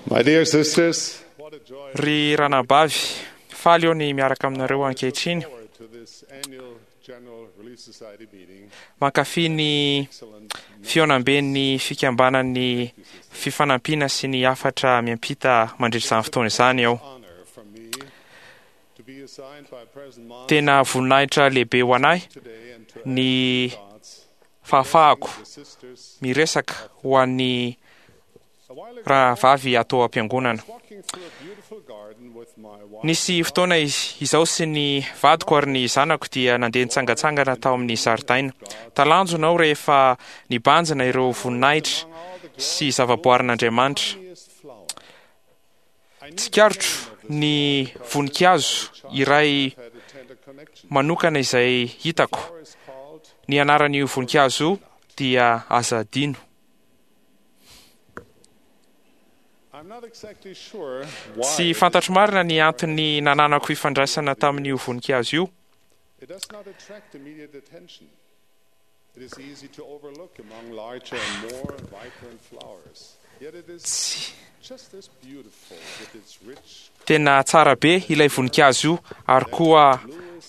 My dear sisters, what a joy Ry ranabavy, faly eo ny miaraka aminareo ankehitriny. forward to this annual General Relief Society meeting. Mankafy ny Excellent fihaonamben'ny fikambanan'ny fifanampiana sy ny hafatra miampita mandritra izany fotoana izany aho. honor for me to be assigned by President Monson Tena voninahitra lehibe ho anahy today and to ny add thoughts fahafahako the sisters. miresaka ho an'ny A while ago, rahavavy atao am-piangonana. I was walking through a beautiful garden with my wife. Nisy fotoana izy izaho sy ny vadiko ary ny zanako dia nandeha nitsangantsangana tao amin'ny zaridaina. Talanjona aho rehefa nibanjina ireo voninahitra sy zavaboarin'Andriamanitra. Loveliest flower. I knew Tsikaritro ny voninkazo iray had a tender connection. manokana izay hitako. Flower is called Ny anaran'io voninkazo io dia aza adino. I'm not exactly sure why Tsy fantatro marina ny antony nananako ifandraisana tamin'io voninkazo io. It does not attract immediate attention. It is easy to overlook among larger and more vibrant flowers. Yet it is Tsy just as beautiful with its rich tena tsara be ilay voninkazo io ary koa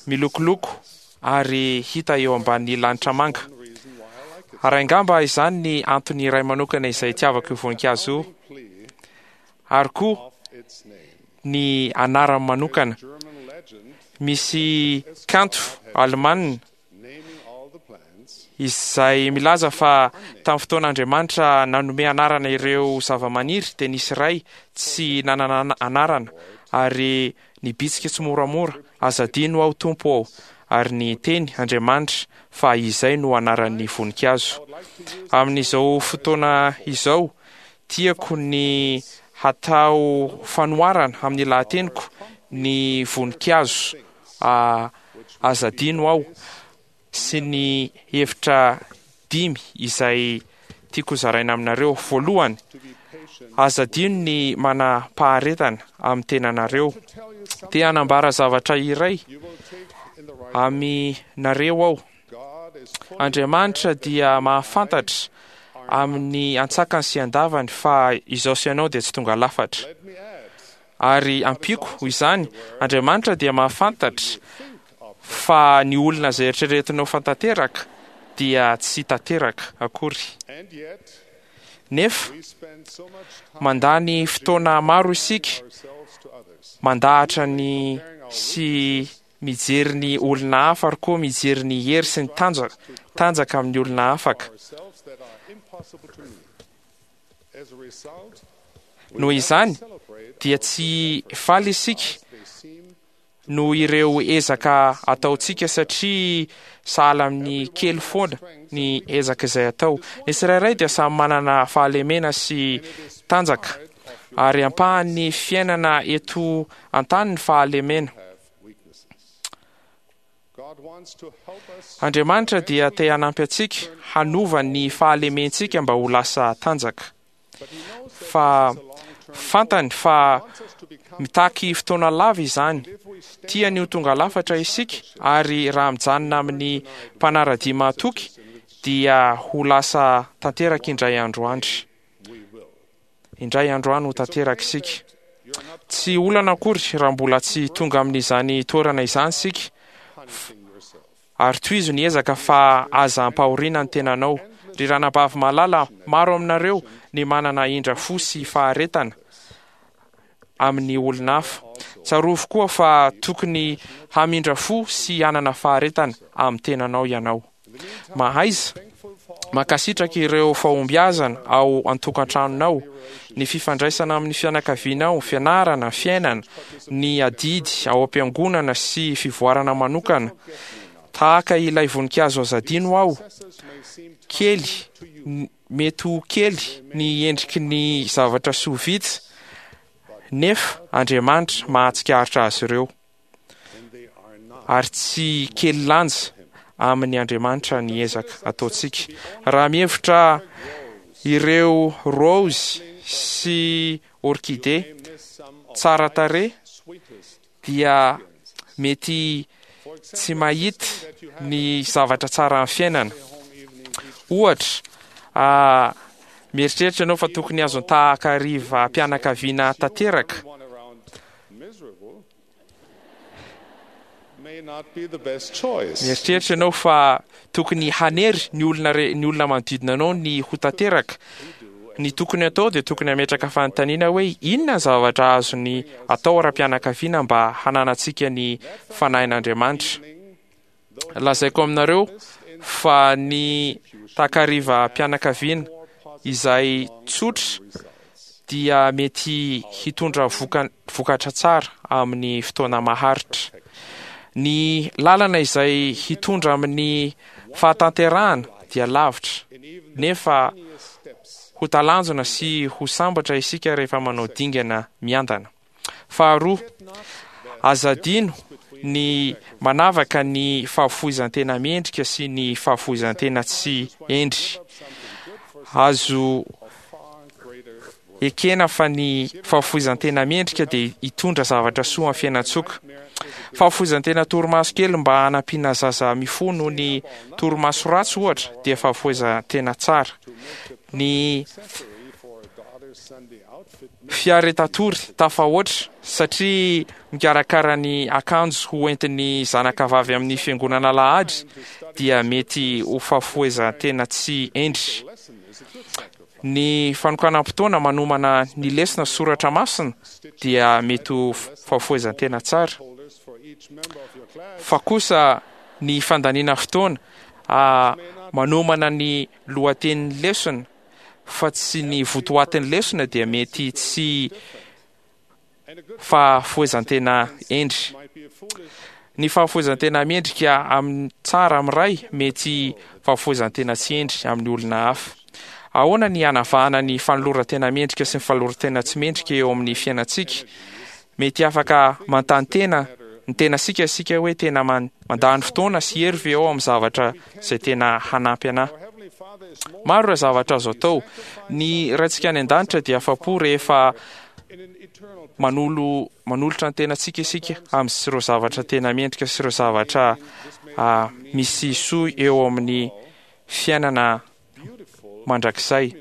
milokoloko ary hita eo ambanin'ny lanitra manga. one reason why I like it. Ary angamba izany ny antony iray manokana izay itiavako io voninkazo io Plea ary koa of its name. ny anarany manokana. German legend Misy kanto alemanina naming all the plants izay milaza fa tamin'ny fotoan'Andriamanitra nanome anarana ireo zavamaniry dia nisy iray tsy nanana anarana ary nibitsika tsy moramora aza adino aho tompo aho ary ny teny Andriamanitra fa izay no anaran'ny voninkazo. Amin'izao fotoana izao tiako ny hatao fanoharana amin'ny lahateniko ny voninkazo ah, aza adino aho sy ny hevitra dimy izay tiako zaraina aminareo. Voalohany, to be patient aza adino ny manam-paharetana amin'ny tenanareo. to tell you something Te hanambara zavatra iray you will take in the right aminareo aho. God is fully Andriamanitra dia mahafantatra amin'ny antsakany sy andavany fa izao sy ianao dia tsy tonga lafatra. Let me add Ary ampiako izany, Andriamanitra dia mahafantatra think of fa ny olona izay eritreretinao fa tanteraka dia tsy tanteraka akory. and yet Nefa we spend so much time mandany fotoana maro isika ourselves to others. mandahatra ny sy mijery ny olona hafa ary koa mijery ny hery sy ny tanjaka tanjaka amin'ny olona afaka. Ourselves that are impossible to meet. As a result, we Noho never izany celebrate dia tsy faly isika they seem noho ireo ezaka ataontsika satria sahala amin'ny kely foana ny ezaka izay atao. Ny tsirairay dia samy manana fahalemena sy tanjaka ary ampahan'ny fiainana eto an-tany ny fahalemena. have weaknesses. God wants to help us Andriamanitra dia te hanampy antsika hanova ny fahalementsika mba ho lasa tanjaka. but he knows that Fa it's a long-term fantany fa He wants us to become mitaky fotoana lava izany. if we stay Tiany ho tonga lafatra isika ary raha mijanona amin'ny mpanara-dia mahatoky dia ho lasa tanteraka indray andro andry. we will. Indray andro any ho tanteraka isika. You're not Tsy olana akory raha mbola tsy tonga amin'izany toerana izany isika punishing yourself. ary tohizo ny ezaka fa aza ampahoriana ny tenanao. Ry ranabavy malala, maro aminareo ny manana indra fo sy faharetana amin'ny olona hafa. Tsarovy koa fa tokony hamindra fo sy hanana faharetana amin'ny tenanao ianao. Mahaiza Thankful for all mankasitraka ireo fahombiazana ao an-tokantranonao, ny fifandraisana amin'ny fianakavianao, fianarana, fiainana, ny adidy ao am-piangonana sy fivoarana manokana. Tahaka ilay voninkazo aza adino aho, successes may seem kely, to you, mety ho kely ny endriky ny zavatra soa vita, nefa Andriamanitra mahatsikaritra azy ireo and they are not. ary tsy kely lanja amin'ny Andriamanitra ny ezaka ataontsika. Raha mihevitra ireo rose sy orchidée May miss some of tsara tarehy sweetest dia mety For example, tsy mahita that you have ny zavatra tsara amin'ny fiainana. a home evening each Ohatra, ah, Mieritreritra ianao fa tokony azon-tahakarivam-pianakaviana tanteraka? Mieritreritra ianao fa tokony hanery ny olona re, ny olona manodidina anao ny ho tanteraka? Ny tokony atao dia tokony hametraka fanontaniana hoe inona ny zavatra azony atao ara-pianakaviana mba hananantsika ny Fanahin'Andriamanitra. Lazaiko aminareo fa ny takarivam-pianakaviana izay tsotra dia mety hitondra vokatra tsara amin'ny fotoana maharitra. Ny lalana izay hitondra amin'ny fahatanterahana dia lavitra, nefa ho talanjona sy ho sambatra isika rehefa manao dingana miandana. Faharoa, aza adino ny manavaka ny fahafoizan-tena mendrika sy ny fahafoizan-tena tsy hendry. Azo ekena fa ny fahafoizan-tena mendrika dia hitondra zavatra soa amin'ny fiainan-tsoka. Fahafoizan-tena torimaso kely mba hanampiana zaza mifoha noho ny torimaso ratsy, ohatra, dia fahafoizan-tena tsara. Ny fiaretatory tafahoatra satria mikarakara ny akanjo ho entin'ny zanakavavy amin'ny fiangonana alahady dia mety ho fahafohezan-tena tsy hendry. Ny fanokanam-potoana manomana ny lesona soratra masina dia mety ho fahafohezan-tena tsara. Fa kosa ny fandaniana fotoana manomana ny lohatenin'ny lesona fa tsy ny votoatin'ny lesona dia mety tsy fahafohezan-tena hendry. Ny fahafohezan-tena mendrika amin'ny tsara amin'ny ray mety fahafohezan-tena tsy hendry amin'ny olona hafa. Ahoana ny hanavahana ny fanoloran-tena mendrika sy ny fanoloran-tena tsy mendrika eo amin'ny fiainantsika? Mety afaka manontany tena ny tenasika isika hoe tena mandany fotoana sy hery ve aho amin'ny zavatra izay tena hanampy anà? Maro ireo zavatra azo atao. Ny Raintsika any An-danitra dia afa-po rehefa manolo manolotra ny tenantsika isika amin'ireo zavatra tena mendrika sy ireo zavatra misy soa eo amin'ny fiainana mandrakizay.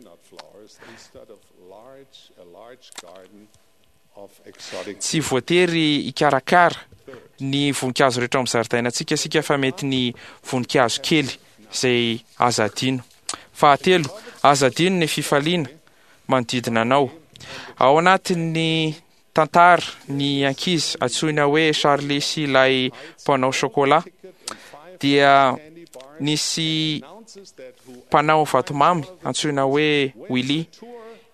Tsy voatery hikarakara ny voninkazo rehetra ao amin'ny zaridainantsika isika fa mety ny voninkazo kely izay aza adino. Fahatelo, aza adino ny fifaliana manodidina anao. Ao anatin'ny tantara ny ankizy antsoina hoe Charlie sy ilay mpanao chocolat dia nisy mpanao vatomamy antsoina hoe Willy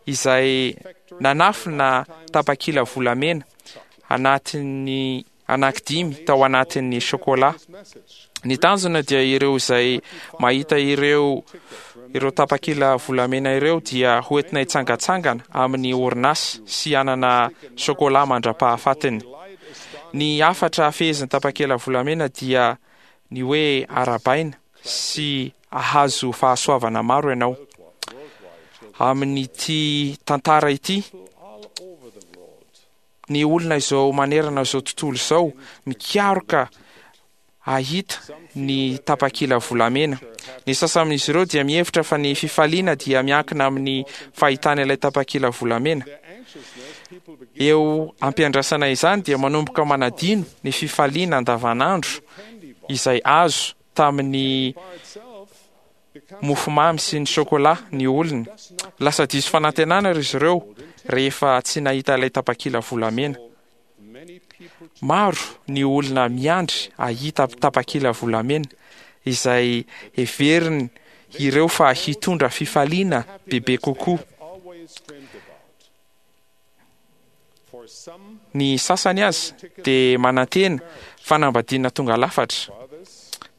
izay nanafina tapakila volamena anatin'ny anankidimy tao anatin'ny chocolat. Ny tanjona dia ireo izay mahita ireo ireo tapakila volamena ireo dia hoentina hitsangantsangana amin'ny orinasa sy hanana chocolat mandra-pahafatiny. Ny hafatra fehezin'ny tapakila volamena dia ny hoe arabaina sy ahazo fahasoavana maro ianao. Amin'ity tantara ity, ny olona izao manerana izao tontolo izao mikaroka ahita ny tapakila volamena. Ny sasany amin'izy ireo dia mihevitra fa ny fifaliana dia miankina amin'ny fahitana ilay tapakila volamena. Eo ampiandrasana izany dia manomboka manadino ny fifaliana andavanandro izay azo tamin'ny mofomamy sy ny chocolat ny olona. Lasa diso fanantenana ry zareo rehefa tsy nahita ilay tapakila volamena. Maro ny olona miandry hahita tapakila volamena izay heveriny ireo fa hitondra fifaliana bebe kokoa. Ny sasany aza dia manantena fanambadiana tonga lafatra.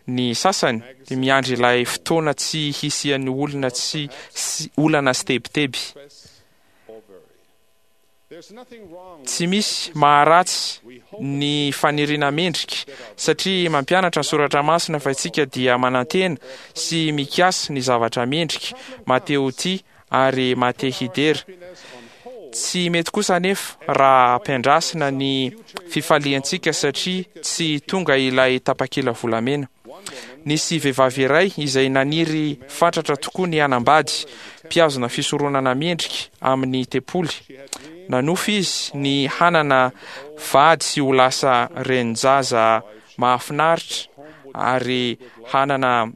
Ny sasany dia miandry ilay fotoana tsy hisian'ny olona tsy olana sy tebiteby. Tsy misy maharatsy ny faniriana mendrika, satria mampianatra ny Soratra Masina fa isika dia manantena sy mikasa ny zavatra mendrika, Mateo-T ary maha-te hidera. Tsy mety kosa anefa raha ampiandrasina ny fifaliantsika satria tsy tonga ilay tapakila volamena. Nisy vehivavy iray izay naniry fatratra tokoa ny hanambady mpihazona fisoronana mendrika amin'ny tempoly. Nanofy izy ny hanana vady sy ho lasa renin-jaza mahafinaritra ary hanana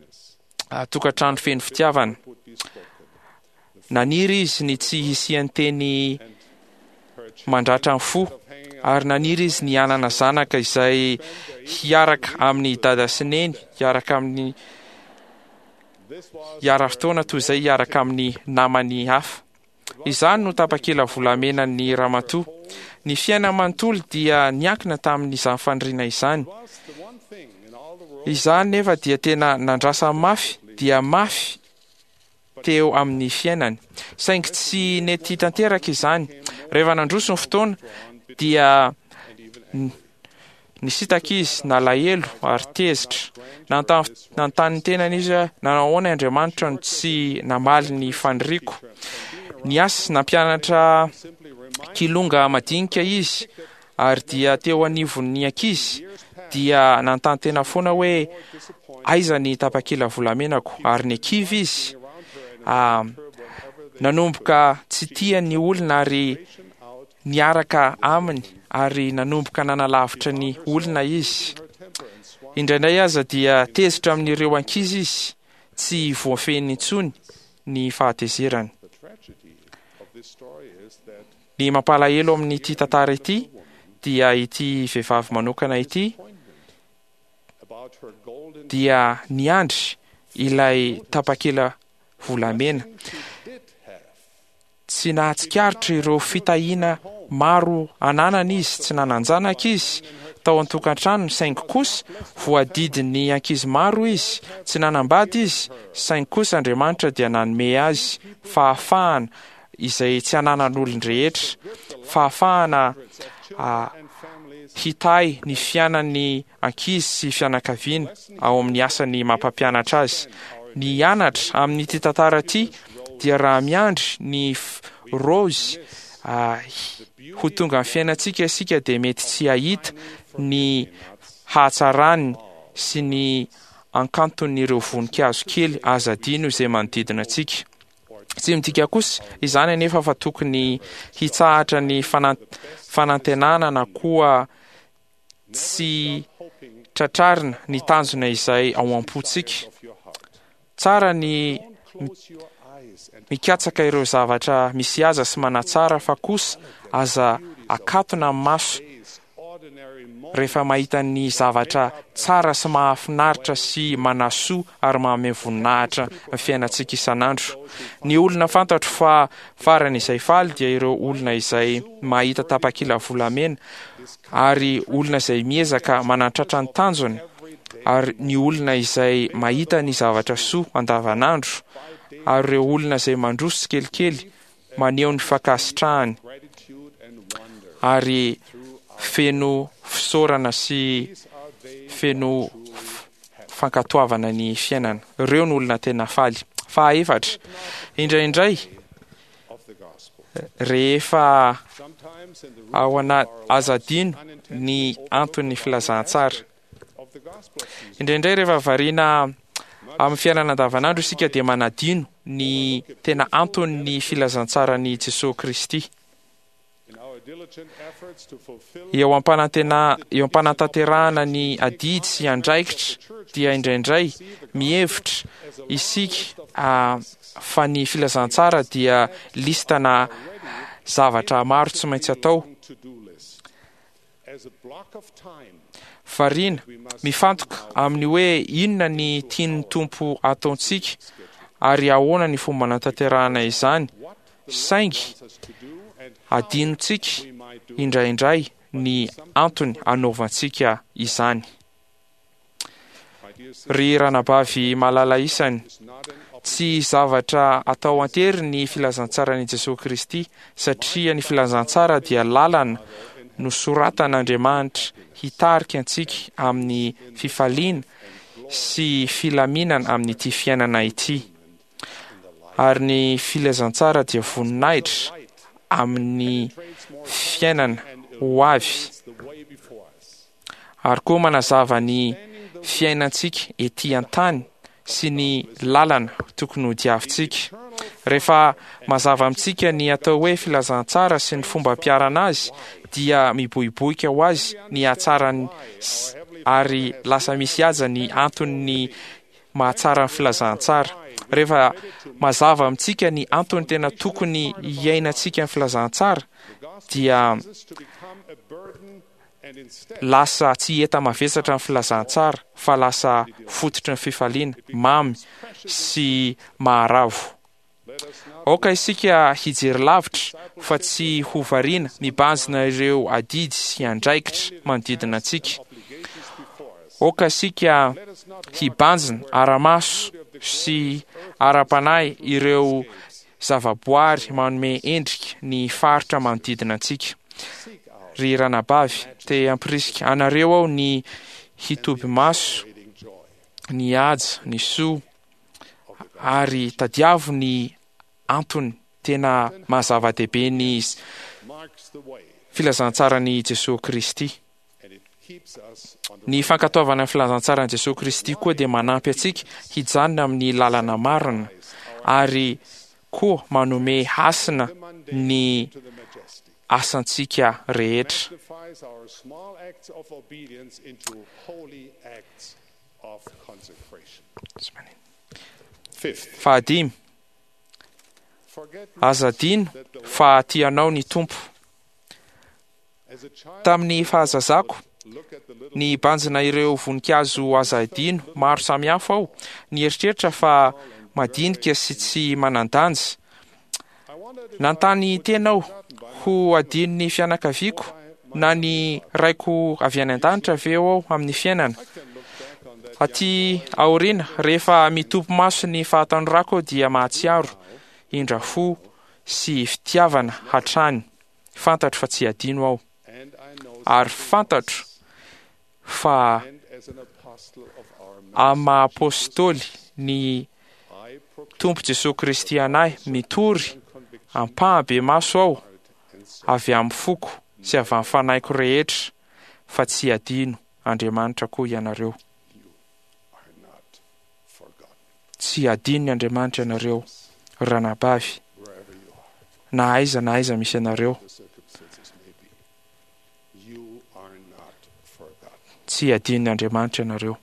tokantrano feno fitiavana. Naniry izy ny tsy hisian'ny teny mandratra ny fo, ary naniry izy ny hanana zanaka izay hiaraka amin'ny dada sy neny, hiaraka amin'ny hiara-fotoana toy izay hiaraka amin'ny namany hafa. Izany no tapakila volamenan'ny ramatoa. Ny fiainany manontolo dia niankina tamin'izany faniriana izany. Izany nefa dia tena nandrasany mafy dia mafy teo amin'ny fiainany. Saingy tsy nety tanteraka izany. Rehefa nandroso ny fotoana dia nisintaka izy, nalahelo ary tezitra. Nanontany ny tenany izy hoe, nanao ahoana Andriamanitra no tsy namaly ny faniriako? Niasa nampianatra kilonga madinika izy ary dia teo anivon'ny ankizy dia nanontany tena foana hoe aiza ny tapakila volamenako ary nikivy izy. Nanomboka tsy tia ny olona ary niaraka aminy ary nanomboka nanalavitra ny olona izy. Indraindray aza dia tezitra amin'ireo ankizy izy, tsy voafehiny intsony ny fahatezerany. Ny mampalahelo amin'ity tantara ity dia ity vehivavy manokana ity dia niandry ilay tapakila volamena. Tsy nahatsikaritra ireo fitahiana maro ananany izy, tsy nanan-janaka izy tao an-tokantranony, saingy kosa voadidin'ny ankizy maro izy, tsy nanambady izy, saingy kosa Andriamanitra dia nanome azy fahafahana izay tsy ananan'olon-drehetra, fahafahana hitahy ny fianan'ny ankizy sy fianakaviana ao amin'ny asany maha-mpampianatra azy. Ny hianatra amin'ity tantara ity dia raha miandry ny raozy ho tonga amin'ny fiainantsika isika dia mety tsy hahita ny hahatsarany sy ny ankanton'ireo voninkazo kely aza adino izay manodidina antsika. Tsy midika kosa izany anefa fa tokony hitsahatra ny fanantenana na koa tsy tratrarina ny tanjona izay ao am-pontsika. Tsara ny mikatsaka ireo zavatra misy aza sy manatsara fa kosa aza akatona ny maso rehefa mahita ny zavatra tsara sy mahafinaritra sy manasoa ary manome voninahitra ny fiainantsika isan'andro. Ny olona fantatro fa farany izay faly dia ireo olona izay mahita tapakila volamena ary olona izay miezaka manatratra ny tanjony ary ny olona izay mahita ny zavatra soa andavanandro ary ireo olona izay mandroso tsikelikely maneho ny fankasitrahany ary feno fisaorana sy feno fankatoavana ny fiainana. Ireo no olona tena faly. Fahaefatra, indraindray rehefa ao anaty aza adino ny anton'ny filazantsara. Indraindray rehefa variana amin'ny fiainana andavanandro isika dia manadino ny tena anton'ny filazantsaran'i Jesoa Kristy. Eo am-panantena eo am-panatanterahana ny adidy sy andraikitra dia indraindray mihevitra isika fa ny filazantsara dia listana zavatra maro tsy maintsy atao. Variana, mifantoka amin'ny hoe inona ny tian'ny Tompo ataontsika ary ahoana ny fomba anatanterahana izany, saingy adinontsika indraindray ny antony anaovantsika izany. Ry ranabavy malala isany, tsy zavatra atao an-tery ny filazantsaran'i Jesoa Kristy, satria ny filazantsara dia lalana nosoratan'Andriamanitra hitarika antsika amin'ny fifaliana sy filaminana amin'ity fiainana ity. Ary ny filazantsara dia voninahitra amin'ny fiainana ho avy. Ary koa manazava ny fiainantsika ety an-tany sy ny lalana tokony hodiavintsika. Rehefa mazava amintsika ny atao hoe filazantsara sy ny fomba ampiharana azy dia miboiboika ho azy ny hatsarany ary lasa misy haja ny anton'ny mahatsara ny filazantsara. Rehefa mazava amintsika ny antony tena tokony hiainantsika ny filazantsara dia lasa tsy enta-mavesatra ny filazantsara fa lasa fototry ny fifaliana, mamy sy maharavo. Aoka isika hijery lavitra fa tsy ho variana mibanjina ireo adidy sy andraikitra manodidina antsika. Aoka isika hibanjina ara-maso sy ara-panahy ireo zavaboary manome endrika ny faritra manodidina antsika. Ry ranabavy, te hampirisika anareo aho ny hitoby maso, ny haja, ny soa, ary tadiavo ny antony tena maha zava-dehibe ny filazantsaran'i Jesoa Kristy. Ny fankatoavana ny filazantsaran'i Jesoa Kristy koa dia manampy antsika hijanona amin'ny lalana marina ary koa manome hasina ny asantsika rehetra. Fahadimy, aza adino fa tia anao ny Tompo. Tamin'ny fahazazako, nibanjina ireo voninkazo aza adino maro samihafa aho, nieritreritra fa madinika sy tsy manan-danja. Nanontany tena aho, ho adinon'ny fianakaviako na ny Raiko avy any an-danitra ve aho amin'ny fiainana? Aty aoriana, rehefa mitopy maso ny fahatanorako aho dia mahatsiaro indra fo sy fitiavana hatrany. Fantatro fa tsy hadino aho. Ary fantatro fa amin'ny maha Apostoly ny Tompo Jesoa Kristy an'ahy, mitory ampahabemaso aho avy amin'ny foko sy avy amin'ny fanahiko rehetra fa tsy hadino Andriamanitra koa ianareo. Tsy hadinony Andriamanitra ianareo, ry ranabavy, na aiza na aiza misy anareo. Tsy hadinony Andriamanitra ianareo.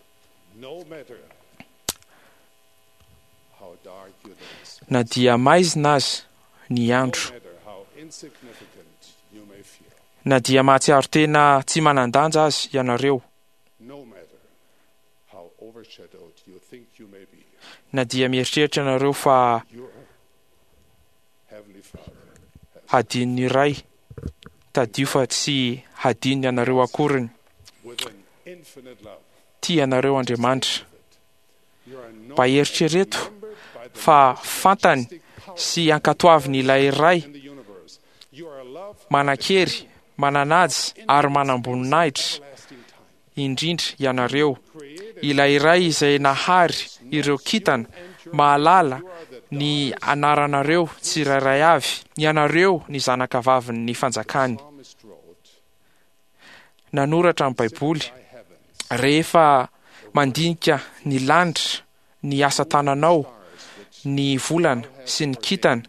Na dia maizina aza ny andro, na dia mahatsiaro tena tsy manan-danja aza ianareo, Na dia mieritreritra ianareo fa hadinon'ny Ray, tadidio fa tsy hadinony anareo akoriny. Tia anareo Andriamanitra. Mba eritrereto fa fantany sy ankatoaviny ilay Ray manan-kery, mananaja ary manam-boninahitra. indrindra ianareo, ilay Iray izay nahary ireo kintana, mahalala ny anaranareo tsirairay avy, ianareo ny zanakavavin'ny fanjakany. Nanoratra ny Baiboly, Rehefa mandinika ny lanitra, ny asa tananao, ny volana sy ny kintana,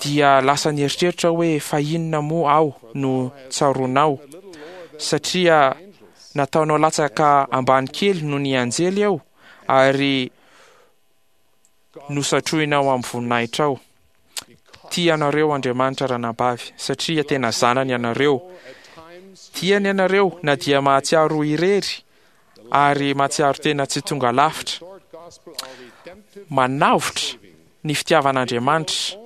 dia lasa nieritreritra hoe fa inona moa aho no tsaroanao satria nataonao latsaka ambany kely noho ny anjely aho ary nosatrohinao amin'ny voninahitrao. Tia anareo Andriamanitra ranabavy satria tena zanany ianareo. Tiany ianareo na dia mahatsiaro ho irery ary mahatsiaro tena tsy tonga lafitra. Manavotra ny fitiavan'Andriamanitra.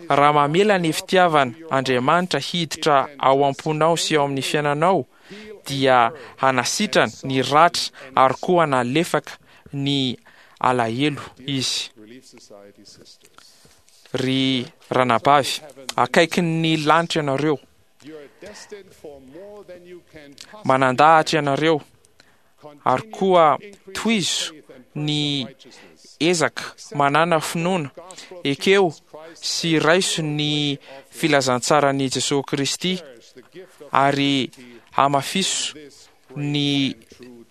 Raha mamela ny fitiavan Andriamanitra hiditra ao am-ponao sy ao amin'ny fiainanao dia hanasitrana ny ratra ary koa hanalefaka ny alahelo Izy. Ry ranabavy, akaikin'ny lanitra ianareo. Manandahatra ianareo ary koa tohizo ny ezaka manàna finoana, ekeo sy raiso ny filazantsaran'i Jesoa Kristy ary hamafiso. ny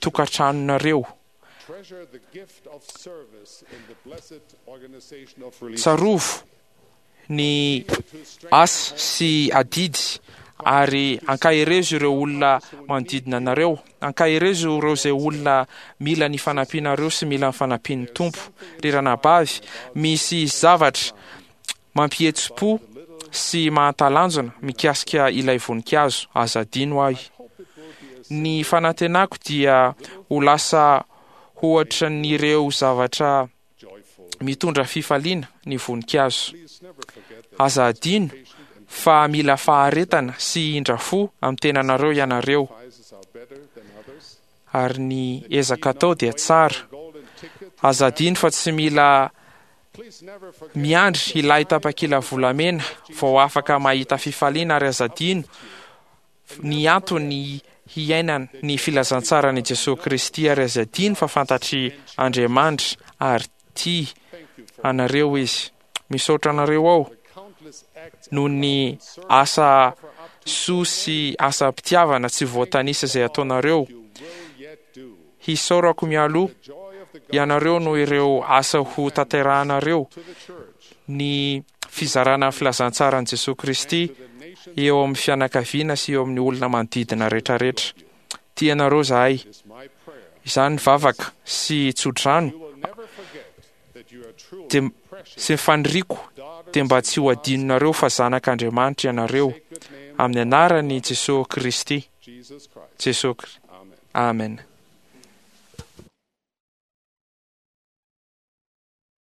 tokantranonareo. Tsarovy ny asa sy adidy ary ankaherezo ireo olona manodidina anareo. Ankaherezo ireo izay olona mila ny fanampianareo sy mila ny fanampian'ny Tompo. Ry ranabavy, misy zavatra mampihetsi-po sy mahatalanjona mikasika ilay voninkazo. Aza adino ahy. Ny fanantenako dia ho lasa hoatran'ireo zavatra mitondra fifaliana ny voninkazo. Aza adino fa mila faharetana sy indra fo amin'ny tenanareo ianareo, ary ny ezaka atao dia tsara. Aza adino fa tsy mila miandry ilay tapakila volamena vao afaka mahita fifaliana, ary aza adino ny antony hiainana ny filazantsaran' i Jesoa Kristy ary aza adino fa fantatr' Andriamanitra ary tia anareo Izy. Misaotra anareo aho noho ny asa soa sy asam-pitiavana tsy voatanisa izay ataonareo. Hisaorako mialoha ianareo noho ireo asa ho tanterahanareo ny fizarana ny filazantsaran'i Jesoa Kristy eo amin'ny fianakaviana sy eo amin'ny olona manodidina rehetrarehetra. Tia anareo zahay. Izany vavaka sy tsodrano dia sy ny faniriako dia mba tsy ho adinonareo fa zanak'Andriamanitra ianareo amin'ny anaran'i Jesoa Kristy. Jesoa Amen.